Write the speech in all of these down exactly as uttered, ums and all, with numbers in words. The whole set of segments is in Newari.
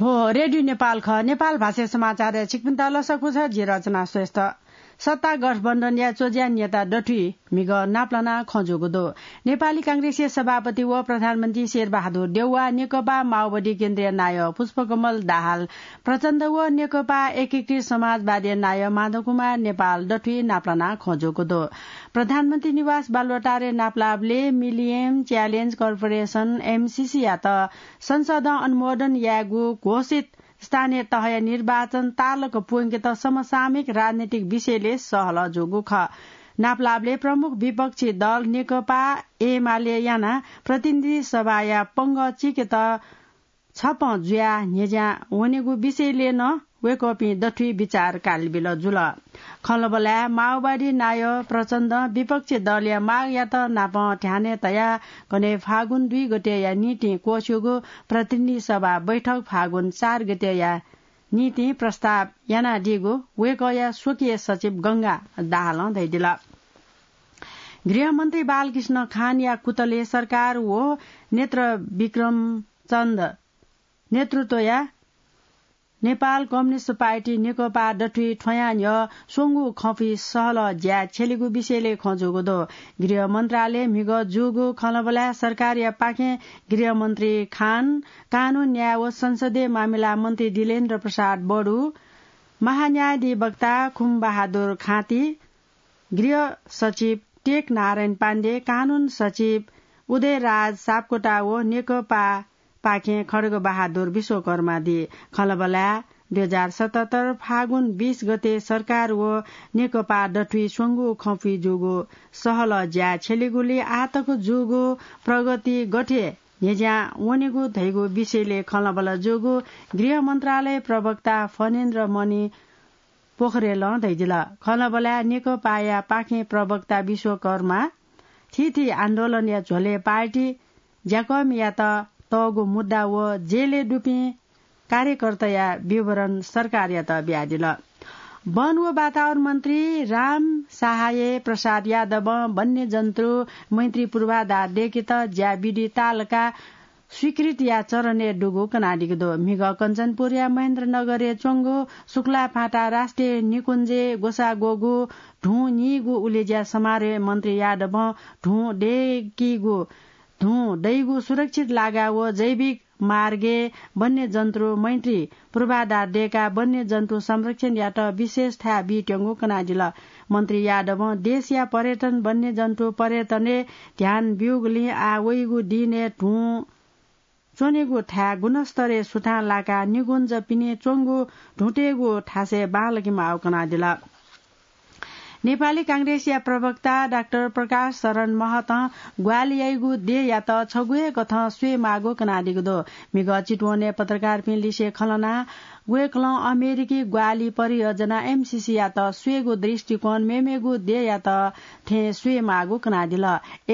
हो, रेडियो नेपाल खः। नेपाल भाषा समाचारय् छिकपिन्त लसकुस, जि रचना श्रेष्ठ। सत्ता गठबन्धनया च्वज्या नेता दथुइ म्हिगः नापलानाः खँ जूगु दु। नेपाली कांग्रेसया सभापति व प्रधानमन्त्री शेरबहादुर देउवा, नेकपा माओवादी केन्द्रीय नायः पुष्पकमल दाहाल प्रचण्ड व नेकपा एकीकृत समाजवादी नायः माधवकुमार नेपाल दथुइ नापलानाः खँ जूगु दु। प्रधानमन्त्री निवास बालुवाटारय् नापलाःबलय् मिलिनियम च्यालेन्ज कर्पोरेसन, एमसीसीयात संसदं अनुमोदन यायेगु घोषित स्थानीय तहया निर्वाचन तालक प्वंकेत समसामयिक राजनीतिक विषयलय् सहलह जूगु खः। नापलाःबलय् प्रमुख विपक्षी दल नेकपा एमाले यानाः प्रतिनिधि सभाया पंगः चीकेत छपँ जुयाः न्ह्यज्यां वनेगु विषयलय् नं वय्कःपिं दथुइ बिचाः कालबिल जुल। खँल्हाबल्हाय् माओवादी नायः प्रचण्डं विपक्षी दलया मागयात नापं ध्यानय् तयाः गथे फागुन दुई गतेया निंतिं क्वस्यूगु प्रतिनिधि सभा बैठक फागुन चार गतेया निंतिं प्रस्ताव यानादीगु वय्कःया स्वकीय सचिव गंगा दाहालं धयादिल। गृहमन्त्री बालकृष्ण खानया कुतले सरकार व नेत्र विक्रम चन्द नेतृत्वया नेपाल कम्युनिस्ट पार्टी नेकपा दथुइ थ्वयां न्ह्यः स्वंगू खँपुइ सहलह ज्या छ्यलेगु विषयलय् खँ जूगु दु। गृह मन्त्रालय म्हिगः जूगु खँल्हाबल्हाय् सरकारया पाखें गृहमन्त्री खान, कानून न्याय व संसदीय मामिला मन्त्री दिलेन्द्र प्रसाद बडु, महान्यायाधिवक्ता खुमबहादुर खाँती, गृह सचिव टेक नारायण पाण्डे, कानून सचिव उदयराज सापकोटा व नेकपा पाखें खड्गबहादुर विश्वकर्मा दी। खँल्हाबल्हाय् दुई हजार सतहत्तर फागुन बीस गते सरकार व नेकपा दथुइ स्वंगू खँपुइ जूगु सहलह ज्या छ्यलेगुलिं आःतक जूगु प्रगति गथे न्ह्यज्यां वनेगु धइगु विषयलय् खँल्हाबल्हा जूगु गृह मन्त्रालय प्रवक्ता फणेन्द्र मणि पोखरेलं धयादिल। खँल्हाबल्हाय् नेकपाया पाखें प्रवक्ता विश्वकर्मा थीथी आन्दोलनया झ्वलय् पार्टी ज्याकःमियात तःगु मुद्दा व जेलय् दुपिं कार्यकर्ताया विवरण सरकारयात बियादिल। वन व वातावरण मन्त्री राम सहाय प्रसाद यादवं वन्यजन्तु मैत्री पूर्वाधार दय्केत ज्या विधि तालका स्वीकृतिया चरणय् दुगु कनादीगु दु। म्हिगः कञ्चनपुरया महेन्द्रनगरय् च्वंगु शुक्लाफाँटा राष्ट्रिय निकुञ्जय् ग्वसाः ग्वःगु धुं नीगु उलेज्या समारोहय् मन्त्री यादवं धुं दय्कीगु, धुं दइगु सुरक्षित लागा व जैविक मार्गय् वन्यजन्तु मैत्री पूर्वाधार दय्काः वन्यजन्तु संरक्षणयात विशेष थाय् बीत्यंगु कनादिल। मन्त्री यादवं देशया पर्यटन वन्यजन्तु पर्यटनय् ध्यान ब्यूगुलिं आः वइगु दिनय् धुं च्वनेगु थाय् गुणस्तरय् सुथां लाकाः निकुञ्ज पिने च्वंगु धुंतय्गु थासय् बांलाके माःगु कनादिल। नेपाली कांग्रेसया प्रवक्ता डाक्टर प्रकाश शरण महतं ग्वाहालि याइगु देय्‌यात छगू हे कथं स्वये माःगु कनादीगु दु। म्हिगः चितवनय् पत्रकारपिं लिसे खँ ल्हानाः वय्‌कलं अमेरिकी ग्वाहालि परियोजना एमसीसीयात स्वयेगु दृष्टिकोण मेमेगु देय्‌यात थें स्वये माःगु कनादिल।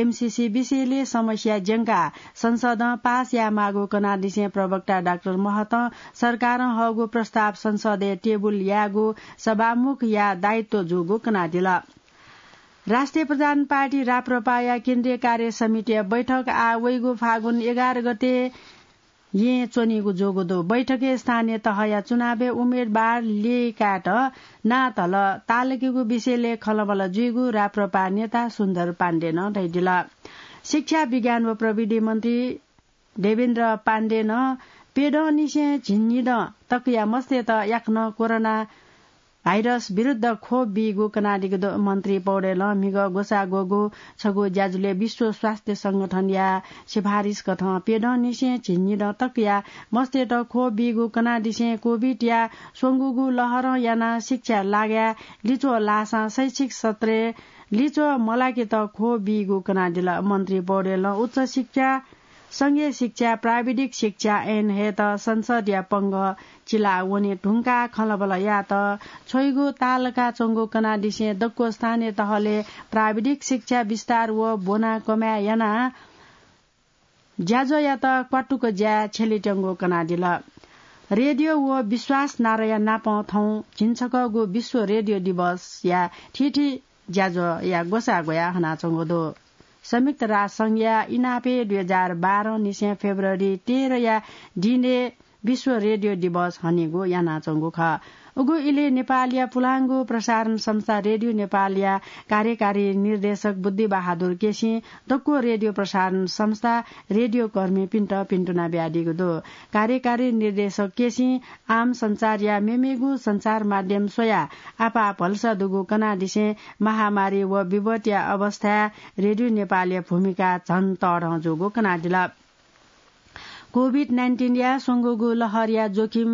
एमसीसी विषयलय् समस्या ज्यंकाः संसदं पास याये माःगु कनादिसें प्रवक्ता डाक्टर महतं सरकारं हःगु प्रस्ताव संसदय् टेबुल यायेगु सभामुखया दायित्व जूगु कनादिल। राष्ट्रिय प्रधान पार्टी राप्रपाया केन्द्रीय कार्य समितिया बैठक आः वइगु फागुन एघार गते येँ च्वनीगु जूगु दु। बैठकय् स्थानीय तहया चुनावय् उम्मेदवार ल्यय्कायेत नां धल तालुकेगु विषयलय् खँल्हाबल्हा जुइगु राप्रपा नेता सुन्दर पाण्डेनं धयादिल। शिक्षा, विज्ञान व प्रविधि मन्त्री देवेन्द्र पाण्डेनं प्यदँनिसें झिंनिदँ तकया मस्तय्त याकनं कोरोना भाइरस विरुद्ध खोप बीगु कनादीगु दु। मन्त्री पौडेलं म्हिगः ग्वसाः ग्वःगु छगू ज्याझ्वलय् विश्व स्वास्थ्य संगठनया सिफारिस कथं प्यदँनिसें झिंनिदँ तकया मस्तय्त खोप बीगु कनादिसें कोभिडया स्वंगूगु लहरं यानाः शिक्षा लागाय् लिच्वः लाःसां शैक्षिक सत्रय् लिच्वः मलाकेत खोप बीगु कनादिल। मन्त्री पौडेलं उच्च शिक्षा, संघीय शिक्षा, प्राविधिक शिक्षा ऐन हयेत संसदया पंगः चिला वने धुंकाः खँल्हाबल्हा यायेत छ्वइगु तालका च्वंगु कनादिसें दक्व स्थानीय तहलय् प्राविधिक शिक्षा विस्तार व ब्वना कमाय् यानाः ज्याझ्वःयात क्वातुक ज्याय् छ्यलेत्यंगु कनादिल। रेडियो व विश्वास नाराया नापं थौं झिंछकःगु विश्व रेडियो दिवसया थीथी ज्याझ्वःया ग्वसाः ग्वयाः हनाच्वंगु दु। संयुक्त राष्ट्र संघया इनापय् दुई हजार बाह्र निसें फेब्रुअरी तेह्रया दिनय् विश्व रेडियो दिवस हनेगु यानाच्वंगु खः। उगु इलय् नेपालया पुलांगु प्रसारण संस्था रेडियो नेपालया कार्यकारी निर्देशक बुद्धिबहादुर केसीं दक्व रेडियो प्रसारण संस्था रेडियो कर्मीपिन्त भिन्तुना बियादीगु दु। कार्यकारी निर्देशक केसीं आम संसारया मेमेगु संचार माध्यम स्वयाः आपाः भलसा दुगु कनादिसें महामारी व विपतया अवस्थाय् रेडियो नेपालया भूमिका झन तःधं जूगु कनादिल। कोभिड नाइन्टिनया स्वंगूगु लहरया जोखिम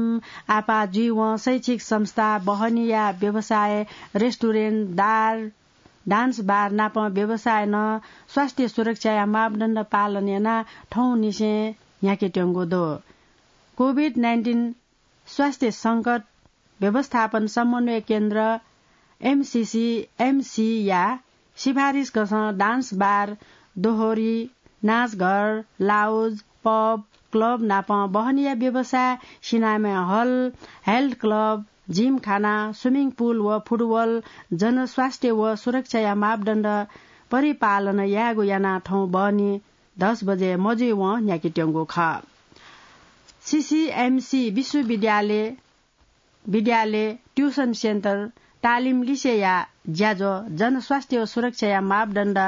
आपाः जुइवं शैक्षिक संस्था, बहनीया व्यवसाय, रेस्टुरेन्ट, दार, डान्स बार नाप व्यवसायनं स्वास्थ्य सुरक्षाया मापदण्ड पालन यानाः थौंनिसें न्ह्याकेत्यंगु दु। कोभिड नाइन्टिन स्वास्थ्य संकट व्यवस्थापन समन्वय केन्द्र, एमसीसी, एमसीया सिफारिस कथं डान्स बार, दोहोरी, नाचघर, लाउज, पब, क्लब नाप बहनीया व्यवसाय, cinema hall, health club, Gymkhana, swimming pool व फुटबल जनस्वास्थ्य व सुरक्षाया मापदण्ड परिपालन यायेगु यानाः थौं बहनी दस बजे मजुइवं न्ह्याकेत्यंगु खः। सीसीएमसी विश्वविद्यालय, विद्यालय, ट्युसन सेन्टर, तालिम लिसेया ज्याझ्वः जनस्वास्थ्य व सुरक्षाया मापदण्ड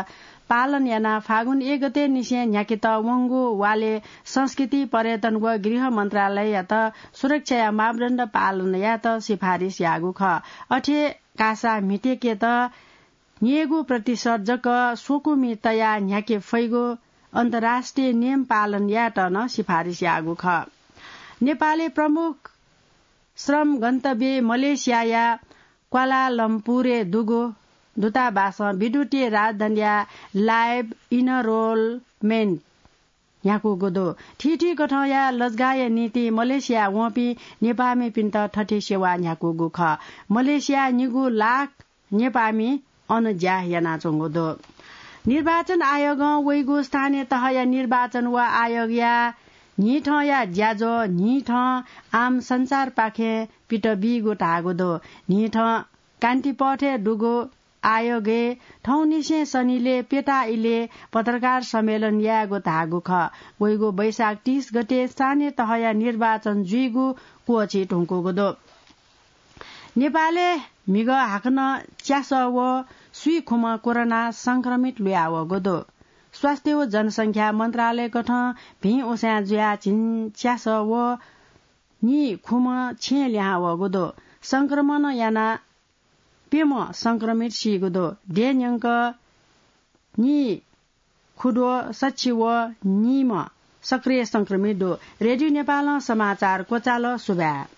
पालन यानाः फागुन एक गते निसें न्ह्याकेत वंगु वालय् संस्कृति, पर्यटन व गृह मन्त्रालययात सुरक्षाया मापदण्ड पालन यायेत सिफारिस याःगु खः। अथे कासा म्हितेकेत न्यय्गू प्रतिशत जक स्वकुमि तयाः न्ह्याके फइगु अन्तर्राष्ट्रिय नियम पालन यायेत नं सिफारिस याःगु खः। नेपालय् प्रमुख श्रम गन्तव्य मलेसियाया क्वालालम्पुरय् दुगु दूतावासं विद्युतीय राजधानीया लाइभ इनरोलमेन्ट न्ह्याकूगु दु। थीथी कथंया लजगाःया निंतिं मलेसिया वंपिं नेपाःमिपिन्त थथे सेवा न्ह्याकूगु खः। मलेसिया निगू लाख नेपाःमि अन ज्या यानाच्वंगु दु। निर्वाचन आयोगं वइगु स्थानीय तहया निर्वाचन व आयोगया न्हिथंया ज्याझ्वः न्हिथं आम सञ्चारपाखें पित बीगु धाःगु दु। न्हिथं कान्तिपथय् दुगु आयोगय् थौंनिसें सनिलय् पेता इलय् पत्रकार सम्मेलन यायेगु धाःगु खः। वइगु वैशाख तीस गते स्थानीय तहया निर्वाचन जुइगु क्वःछी धुंकूगु दु। नेपालय् म्हिगः हाकनं च्यासः व स्वीखुम्ह कोरोना संक्रमित लुयावःगु दु। स्वास्थ्य व जनसंख्या मन्त्रालय कथं भिं उसाँय् जुयाः झिंच्यासः व नीखुम्ह छेँ लिहां वःगु दु। संक्रमण यानाः प्यम्ह संक्रमित सीगु दु। देय् न्यंक नीखुद्वः सछि व नीम्ह सक्रिय संक्रमित दु। रेडियो नेपालं समाचार क्वचाल। सुभाय्।